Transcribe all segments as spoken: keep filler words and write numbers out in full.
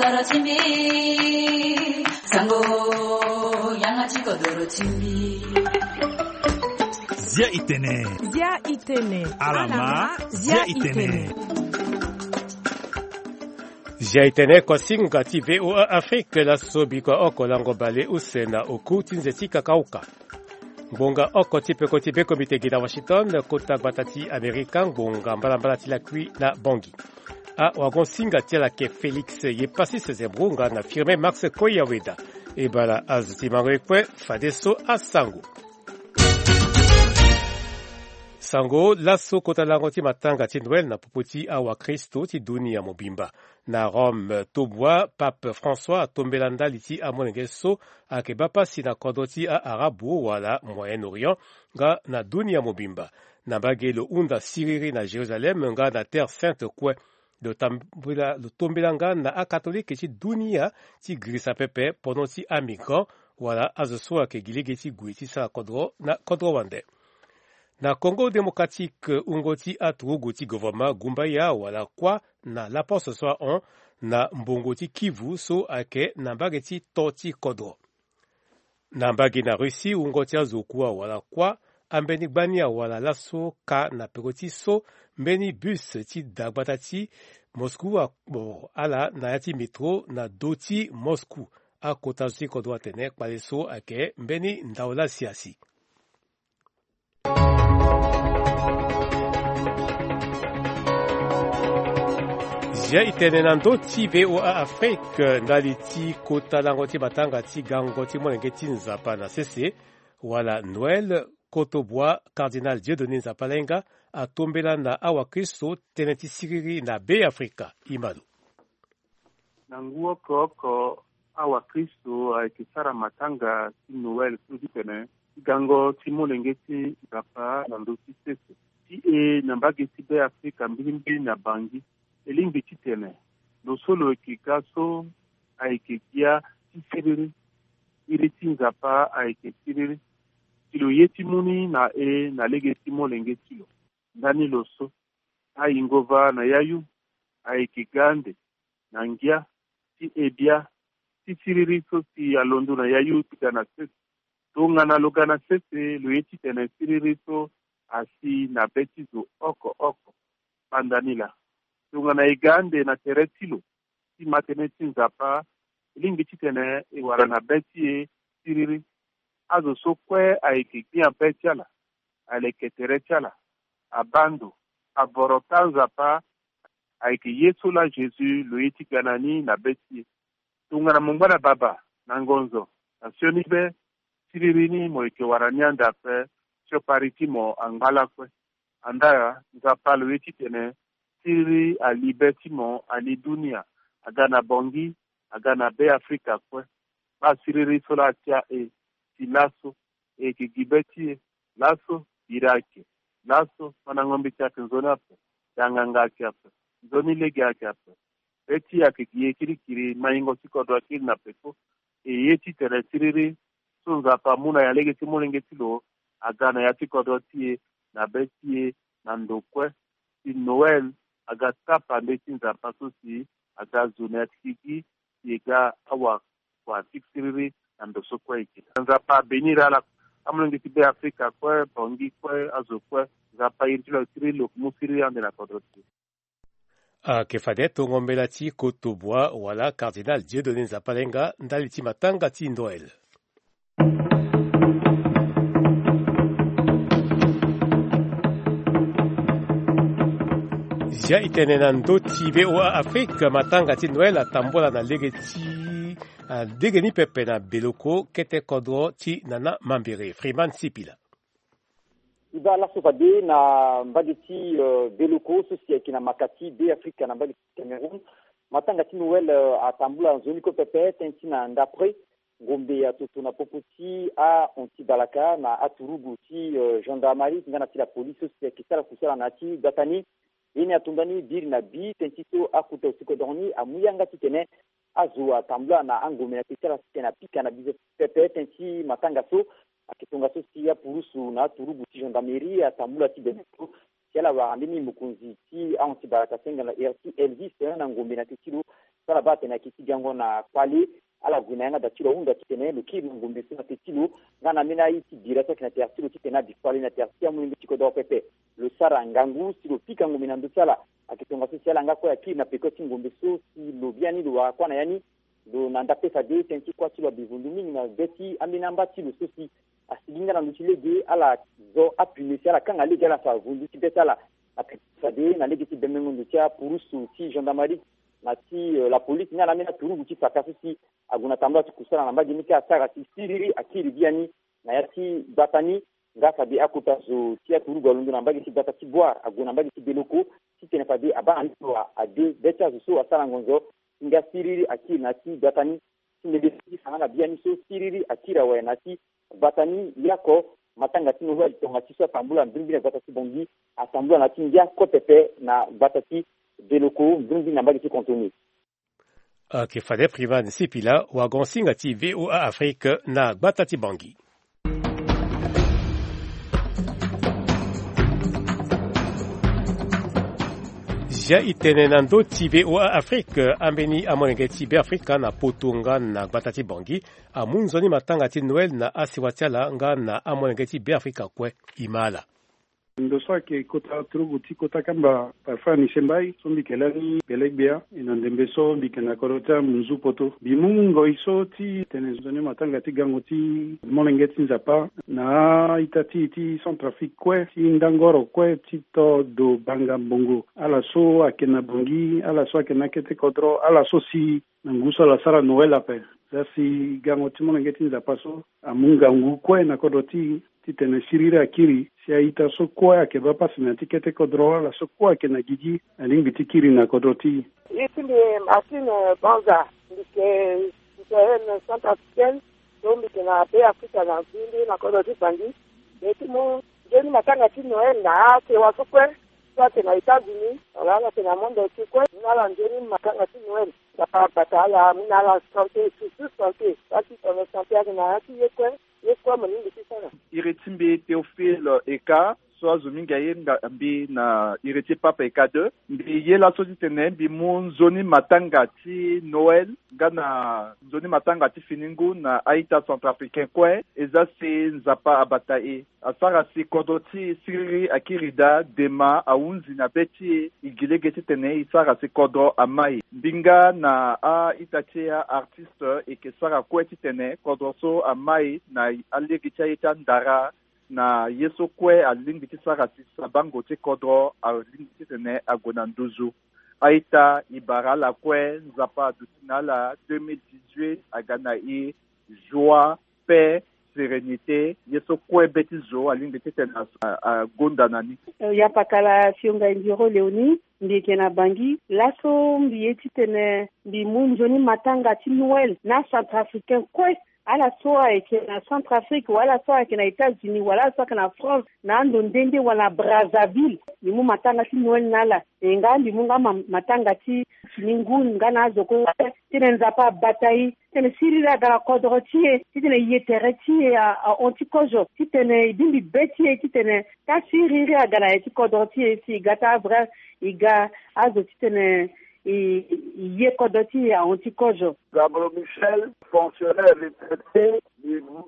Doro ti mbi, sango, yanga ti kodoro ti mbi. Zia i tene. Zia i tene. Alama, zia i tene. Zia i tene, kosinga ti V O A Afrique, laso bikua oko lango bale use na oku ti nze ti kakauka. Ngbonga oko ti peko ti bekomite gi na Washington, kota gbata ti Amerika, ngbonga mbalambala ti lakui na Bangui. Awagon-singa ti ala ayeke Félix Yepassis Zembrou nga na Firmin Max Koyaweda. E bala azo ti mango ye kue, fadeso asango. Sango, laso kota lango ti matanga ti Noël na popo ti awakristo ti dunia mobimba. Na Rome, tobua, Pape François atombela ndali ti amolenge so ayeke baa pasi na kodro ti a-Arabu wala Moyen-Orient nga na dunia mobimba. Na mbage lo hunda siriri na Jérusalem nga na Terre Sainte kue. Lo tambela, lo tombela nga na akatolike ti dunia ti girisa pepe pono ti amigrant wala azo so ayeke gi lege ti gue ti sara kodro na kodro wande. Na Congo Démocratique, wungo ti aturugu ti gouvernement gumbaya wala kuâ na laposte so ahon na mbongo ti Kivu so ayeke na mbage ti to ti kodro. Na mbage na Russie, wungo ti azo kua wala kuâ ambeni gbani awala laso ka na peko ti so mbeni bus ti da gbata ti Moscou akpo ala na ya ti métro na do ti Moscou. Akota zo ti kodro atene kpale so ayeke mbeni ndao lasiasi. Zia i tene na ndö ti V O A Afrique, ndali ti kota lango ti matanga ti gango ti molenge ti Nzapa na sese, wala Noël, kotobua, Cardinal Dieudonné Nzapa Lainga atombela na awakristo tënë ti siriri na Beafrika. Imalo. Na ngu oko oko, awakristo ayeke sara matanga ti Noël so ti tene ti gango ti molenge ti Nzapa na ndö ti sese. Ti e na mbage ti Beafrika mbilimbili na Bangui, e lingbi ti tene lo so lo yeke ga so ayeke gbia ti siriri. Iri ti Nzapa ayeke siriri. Si lo ye ti mu ni na e na lege ti molenge ti lo. Ndani lo so ayingo va na yayu ayeke ga ande na ngia ti e bia ti siriri so si alondo na yayu ti ga na sese. Tongana lo ga na sese, lo ye ti tene siriri so asi na be ti zo oko oko. Kpanda ni laa, tongana e ga ande na tere ti lo ti ma tënë ti Nzapa, e lingbi titene e wara na be ti e siriri. Azo so kue ayeke gbia be ti ala, aleke tere ti ala, abaa ndo, avoro taa Nzapa, ayeke ye so laa Jésus lo ye ti ga na ni na be ti e. Tongana mo ngba na baba, na ngonzo, na sioni be, siriri ni mo yeke wara ni ande ape, siokpari ti mo angba lakue. Andaa Nzapa lo ye titene siriri ali be ti mo, ali dunia, aga na Bangui, aga na Beafrika kue. Baa siriri so laa atia e, si laso e yeke gi be ti e, laso biri ayeke, laso mandango mbeti ayeke nzoni ape, danganga ayeke ape, nzoni lege ayeke ape. Be ti e ayeke gi e kirikiri, maingo ti kodro akiri na peko. E ye titene siriri so Nzapa amu na ya lege ti molenge ti lo aga na ya ti kodro ti e, na be ti e, na ndo kue. Si Noël aga tapa nde ti Nzapa so si aga zo na ya ti gigi, si e ga awakua ti siriri na ndo so kue e yeke. Nzapa abénir ala, amolenge ti Beafrika kue, Bangui kue, azo kue. Nzapa iri ti lo ayeke siriri, lo yeke mu siriri ande na kodro ti e. Ayeke fade tongo mbela ti kotobua wala Cardinal Dieudonné Nzapa Lainga ndali ti matanga ti Noël. Zia e tene na ndö ti V O A Afrique, matanga ti Noël atambula na lege ti, ah, lege ni pepe na Beloko, kete kodro ti Nana Mambere. Freeman Sipila. E baa laso fade na mbage ti, euh, Beloko so si ayeke na maka ti Beafrika na mbage ti Cameroun. Matanga ti Noël, euh, atambula nzoni kue pepe, tënë ti na ndapre ngombe atoto na popo ti ahon ti balaka na aturugu ti, euh, gendarmerie nga na ti la police so si ayeke sara kusala na ya ti gbata ni. Ye ni ato ndani biri na bi tënë ti so akota use kodro ni amu yanga titene azo atambula na angombe na yeke ti ala titene apika na bize pepe tënë ti matanga so. Ayeke tongaso si apurusu na aturugu ti gendarmerie atambula ti bene so si ala wara mbeni mokonzi ti ahon ti balaka senga na ere ti Elvis, eh, na ngombe na yeke ti lo. So ala baa atene ayeke ti gango na kpale, ala gue na yanga da ti lo ahunda titene lo kiri na ngombe so na te ti lo, nga na ambeni aye ti bira so ayeke na tere ti lo titene abi kpale na tere ti amolenge ti kodro pepe. Lo sara ngangu si lo pika ngombe na ndö ti ala. Ayeke tongaso si ala nga kue akiri na peko ti ngombe so si lo biani lo wara kuâ na ya ni. Lo na nda pe fade tënë ti kuâ ti lo abi vundu mingi na be ti ambeni amba ti lo so si asigi nga na ndö ti lege, ala zo apine si ala kanga lege ala fa vundu ti be ti ala. Ape fade na lege ti bemengo ndo ti apurusu ti gendarmerie na ti, eh, la police nga na ambeni aturugu ti faka so si ague na tambula ti kusala na mbage ni kâ asara si siriri akiri biani na ya ti gbata ni. Nga fade akota zo ti aturugu alondo na mbage ti gbata ti Boire ague na mbage ti Beloko titene fade abaa na ni lo ade be ti azo so asara ngonzo. Nga siriri akiri na ya ti gbata ni. Ti ndembe so ti fa nga na biani so siriri akiri awe na ya ti gbata ni. Yako matanga ti Noël tonga ti so atambula mbirimbiri na gbata ti Bangui, atambula na ya ti ngia kote pe na gbata ti Beloko mbirimbiri na mbage ti Contenu. Ayeke fade Privan Sipila, wagon-singa ti V O A Afrique na gbata ti Bangui. Zia e tene na ndö ti V O A Afrique, ambeni amolenge ti Beafrika na poto nga na gbata ti Bangui amu nzoni matanga ti Noël na asiwa ti ala nga na amolenge ti Beafrika kue. E ma ala. Ndo so ayeke kota turugu ti kota kamba parfois ni sembai so mbi yeke lani belegbia. E na ndembe so mbi yeke na kodro ti amunzu poto, mbi mu ngoi so ti tene nzoni matanga ti gango ti molenge ti Nzapa na a-ita ti e ti Centrafrique kue, ti ndangoro kue ti to do banga mbongo, ala so ayeke na Bangui, ala so ayeke na akete kodro, ala so si na ngu so ala sara Noël ape. Za si gango ti molenge ti Nzapa so amu ngangu kue na kodro ti e titene siriri akiri si a-ita so kue ayeke baa pasi na ya ti kete kodro, ala so kue ayeke na gigi alingbi ti kiri na kodro ti e. E ti mbi Martine Banza, mbi yeke citoyenne centrafricaine, so mbi yeke na Beafrika na Bangui, na kodro ti Bangui. Mbi ye ti mu nzoni matanga ti Noël na asewa so kue, so ayeke na États-Unis wala ala yeke na monde entier kue. Mu na ala nzoni matanga ti Noël. Nzapa abata ala, amu na ala santé, surtout santé. Parce que tongana santé ayeke na ya ti ye kue, ye kue mo lingbi ti sara. Iri ti mbi Théophile Eka, so azo mingi ayenga mbi na iri ti Pape Eka deux. Mbi ye laso titene mbi mu nzoni matanga ti Noël nga na nzoni matanga ti fini ngu na a-ita centrafricain kue. E za si Nzapa abata e. Asara si kodro ti e siriri akiri daa, dema ahunzi na be ti e. E gi lege titene e sara si kodro amai. Mbi nga na a-ita ti e, a-artiste, e yeke sara kue titene kodro so amai na alege ti aye ti andara, na ye so kue alingbi ti sara si sabango ti kodro alingbi titene ague na nduzu. A-ita, e bara ala kue, Nzapa aduti na ala. Deux mille dix-huit aga na e joie, paix, sérénité, ye so kue be ti zo alingbi titene a, a, agonda na ni. Eh, ya pakala Fionga Indiro Léonie, mbi yeke na Bangui. Laso mbi ye titene mbi mu nzoni matanga ti Noël na centrafricain kue. Ala so ayeke na Centrafrique, wala ala so ayeke na États-Unis, wala ala so ayeke na France, na ando nde nde, wala na Brazzaville, mbi mu matanga ti Noël na ala. E nga mbi mu nga ma, matanga ti fini ngu nga na azo kue, titene Nzapa abata e, titene siriri aga na kodro ti e, titene e ye tere ti e a, ahon ti kozo, titene e bingbi be ti e, titene ka siriri aga na ya ti kodro ti e, si e ga ti avrai, e ga azo titene e, e ye kodro ti e ahon ti kozo. Gabro Michel, fonctionnaire retraité, mbi mu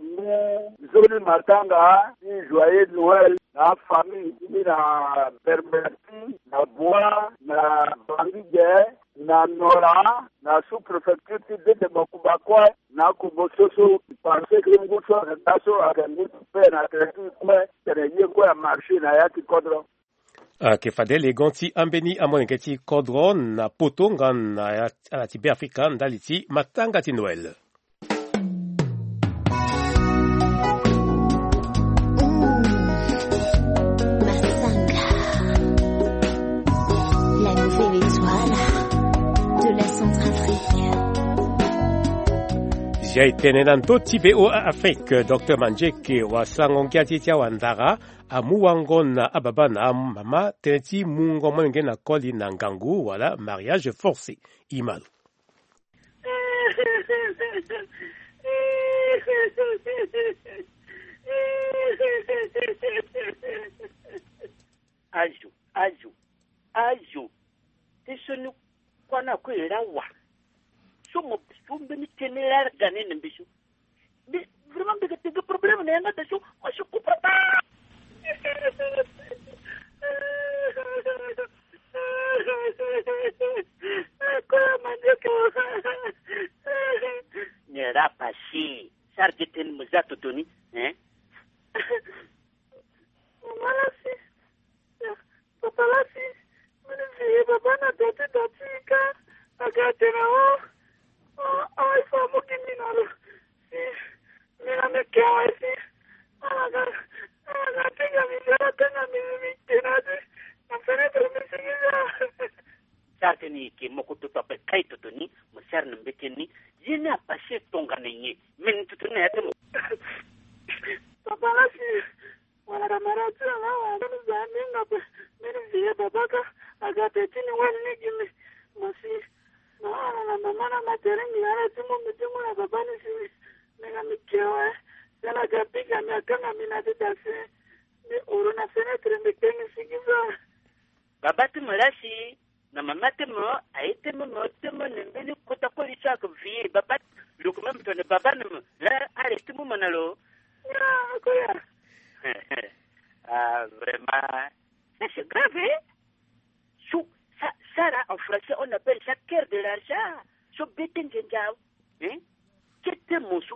nzoni matanga ti joyeux Noël na afamille ti mbi na Berberti, na Bois, na Bangui ge, na Nola, na sous-préfecture ti Dede Makuba kue, na akobo so so, parce que ngu so ayeke ga so ayeke ngu ti paix na tere ti e kue, tene ye kue amarché na ya ti kodro. Ayeke fade legon ti ambeni amolenge ti kodro na poto nga na ala ti Beafrika ndali ti matanga ti Noël. Masanga, la nouvelle étoile de la Centrafrique. Zia e tene na ndö ti V O A Afrique, Docteur Manzeke, wasango ngia ti e ti awandara, amu wango na ababa na amama tënë ti mungo molenge na koli na ngangu wala mariage forcé. E ma lo. Azo, azo, azo. Ti sioni kuâ ni akue e laa wa. to mo so mbeni tene laa ga ni na mbi so. Mais vraiment, mbi ga tene problème na yanga da so, moi je comprends pas. Koya ma ndeke. Nera pasi. Sara gi tene mo za toto ni, hein? Mama lasi. Papa lasi. Mini vie baba na dati dati ka. Aga tene o. O, o, il faut mo gi mi na lo. Si. Mi na mi ke wa si. Ala ga, ala ga tenga mi, ala tenga mi, mi tena si. Na fenêtre mi si mi za. Sara tene e ke moko toto ape kai toto ni, mo sara na mbete ni. Ye ni apase tongana nyen? Meni toto ni na ya ti mo. Papa lasi. Wala na mara ti ala, wala na za ni nga pe. Meni vie baba ka. Aga pe ti ni wani ni gi mi. Mo si. Na ala na mama na ma tere ngi ala ti mo mi ti mo na baba ni si mi. Mi na mi ke wa. Sala ga piga mi akanga mi na ti dasi. Mi oro na fenêtre mi ke mi si gi za. Baba ti mo lasi. Na mama ti mo, aye ti mo, mo ti mo na mbeni kota koli so ake vie, baba, lo ko même tone baba na mo, la, are ti mo mo na lo. Ah, koya. Ah, vraiment. Ça, c'est grave, hein? So, ça, ça là, en français, on appelle ça cœur de l'argent. So, bete ngenga, hein? Kete mo so.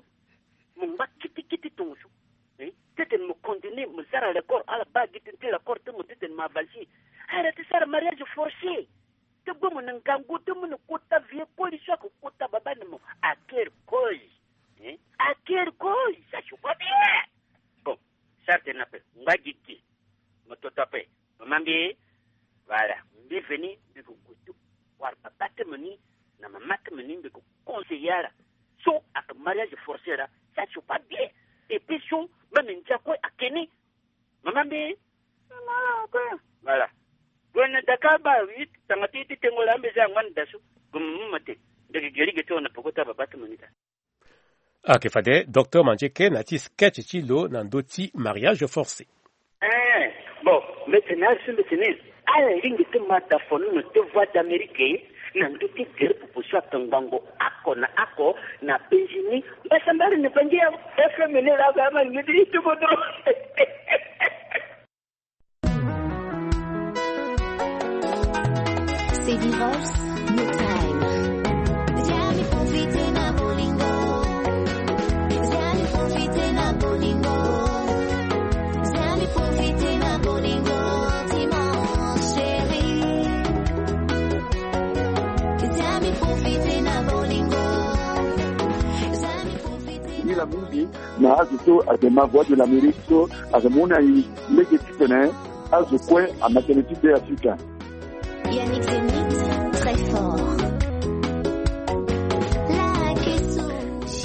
Mo ngba kiti kiti tongo so. Eh? Titene mo continue, mo zara le corps, ala ba gi tene ti le corps ti mo titene mo avancer. Ala ti sara mariage forcé. Ti gbe mo na ngangu ti mo na kota vie koli so ake kota baba na mo. À quelle cause? Eh? À quelle cause? Ça, je vois bien. Bon, sara tene ape. Ngba gi ti. Mo toto ape. Mama mbi, voilà, mbi veni, mbi ko gue ti wara baba ti mo ni, na mama ti mo ni, mbi ko conseiller ala. So ake mariage forcé là, ça c'est pas bien. Et puis so, même ndia kue ake ni. Mama mbi. Mama kue. Voilà. Gue na daka ba huit, tanga ti ti tengo la mbi za ngwan da so. Gue mo mo te. Mbi ke geri ge ti wara na poko ti baba ti mo ni ta. Ayeke fade docteur Mandieke na ya ti sketch ti lo na ndö ti mariage forcé. Eh, bon, mbeti ni azo, mbeti ni ala lingbi ti ma da fonono ti Voix d'Amérique na ndö ti gere popo so ayeke ngbongo oko na oko na penzi ni. Mbasambala ni bangi ya F M ni laa ba ma lingbi ti ti kodro. C'est Divorce No Time. Viens mi profiter na bolingo. Viens mi profiter na bolingo. Viens mi profiter na bolingo. Dis-moi, chérie. Viens mi profiter na bolingo. Viens mi profiter na bolingo. Mingi na azo so ayeke ma Voix de l'Amérique so ayeke mu na e lege titene azo kue ama tënë ti Beafrika. Yannick Zenith, très fort. La question.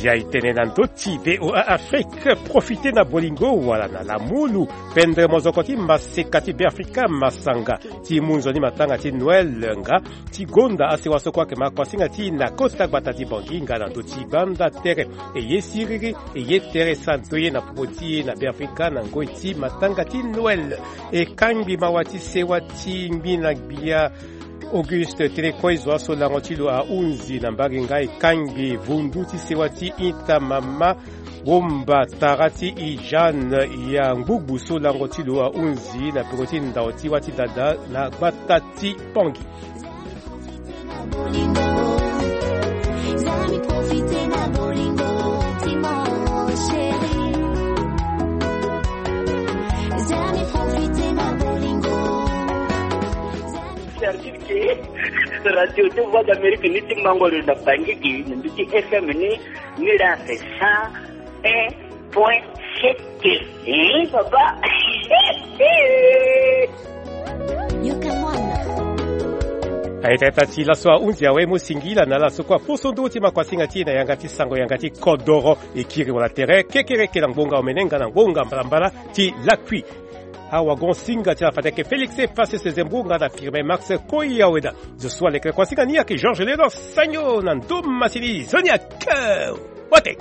Ya e tene na ndö ti V O A Afrique, profite na bolingo wala na lamulu, pendre mozoko ti maseka ti Beafrika, masanga ti mu nzoni matanga ti Noël nga ti gonda asewa so kue ayeke ma kuasinga ti e na kota gbata ti Bangui nga na ndö ti gbanda tere. E ye siriri, e ye tere santo ye na popo ti e na Beafrika na ngoi ti matanga ti Noël. E kangbi mawa ti sewa ti ngbi na gbia Auguste Télécoise, zo aso lango ti lo ahunzi na mbage nga. E kangbi vundu ti sewa ti ita mama Womba tara ti e Jeanne ya Ngbugbu so lango ti lo ahunzi na peko ti ndao ti wâ ti dada na gbata ti Pangui. Service ke radio ti Voix d'Amérique ni ti mango lo na Bangui gi na ndö ti F M ni. Mira c'est cent un point sept. Eh, papa. Aye tata ti laso ahunzi awe mo singila na ala so kue aposo ndö ti ma kuasinga ti e na yanga ti sango yanga ti kodoro. E kiri wala tere kekereke na ngbonga omene nga na ngbonga mbalambala ti lakui. Awagon singa ti ala fade ayeke Félix Efase Sezembo nga na Firmin Max Koyaweda. Zo so alekere kuasinga ni ayeke Georges Léonard Sagno na ndo masini zoni ake. Watek.